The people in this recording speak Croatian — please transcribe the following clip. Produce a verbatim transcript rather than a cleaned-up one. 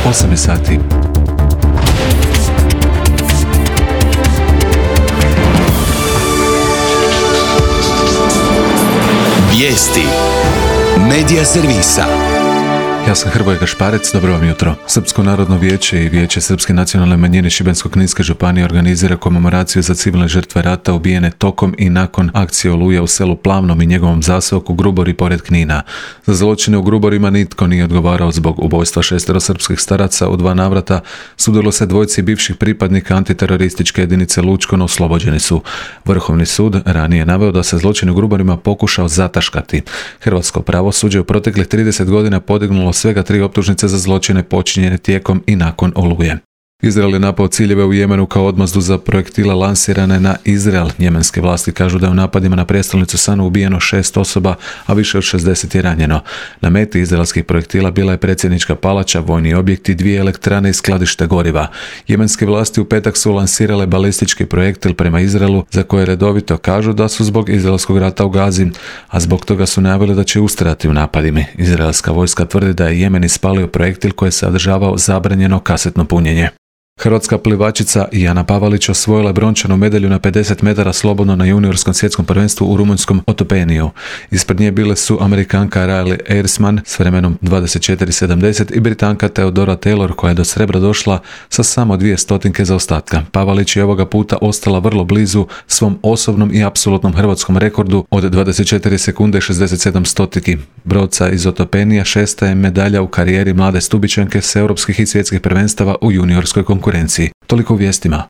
osam je sati. Vijesti Medija servisa. Ja sam Hrvoje Gašparec, dobro vam jutro. Srpsko narodno vijeće i Vijeće Srpske nacionalne manjine Šibensko-kninske županije organizira komemoraciju za civilne žrtve rata ubijene tokom i nakon akcije Oluja u selu Plavnom i njegovom zaseoku Grubori pored Knina. Za zločine u Gruborima nitko nije odgovarao zbog ubojstva šestero srpskih staraca. U dva navrata sudilo se dvojci bivših pripadnika antiterorističke jedinice Lučko, no oslobođeni su. Vrhovni sud ranije naveo da se zločin u Gruborima pokušao zataškati. Hrvatsko pravosuđe u proteklih trideset godina podignulo svega tri optužnice za zločine počinjene tijekom i nakon Oluje. Izrael je napao ciljeve u Jemenu kao odmazdu za projektile lansirane na Izrael. Jemenske vlasti kažu da je u napadima na prijestolnicu Sanu ubijeno šest osoba, a više od šezdeset je ranjeno. Na meti izraelskih projektila bila je predsjednička palača, vojni objekti, dvije elektrane i skladište goriva. Jemenske vlasti u petak su lansirale balistički projektil prema Izraelu, za koje redovito kažu da su zbog izraelskog rata u Gazi, a zbog toga su najavili da će ustrajati u napadima. Izraelska vojska tvrdi da je Jemen ispalio projektil koji je sadržavao zabranjeno kasetno punjenje. Hrvatska plivačica Jana Pavalić osvojila je brončanu medalju na pedeset metara slobodno na juniorskom svjetskom prvenstvu u rumunjskom Otopeniju. Ispred nje bile su Amerikanka Riley Ersman s vremenom dvadeset četiri sedamdeset i Britanka Theodora Taylor koja je do srebra došla sa samo dvije stotinke zaostatka. Pavalić je ovoga puta ostala vrlo blizu svom osobnom i apsolutnom hrvatskom rekordu od dvadeset četiri sekunde i šezdeset sedam stotiki. Brodca iz Otopenija šesta je medalja u karijeri mlade Stubičanke s europskih i svjetskih prvenstava u juniorskoj konkurenciji. Toliko u vijestima.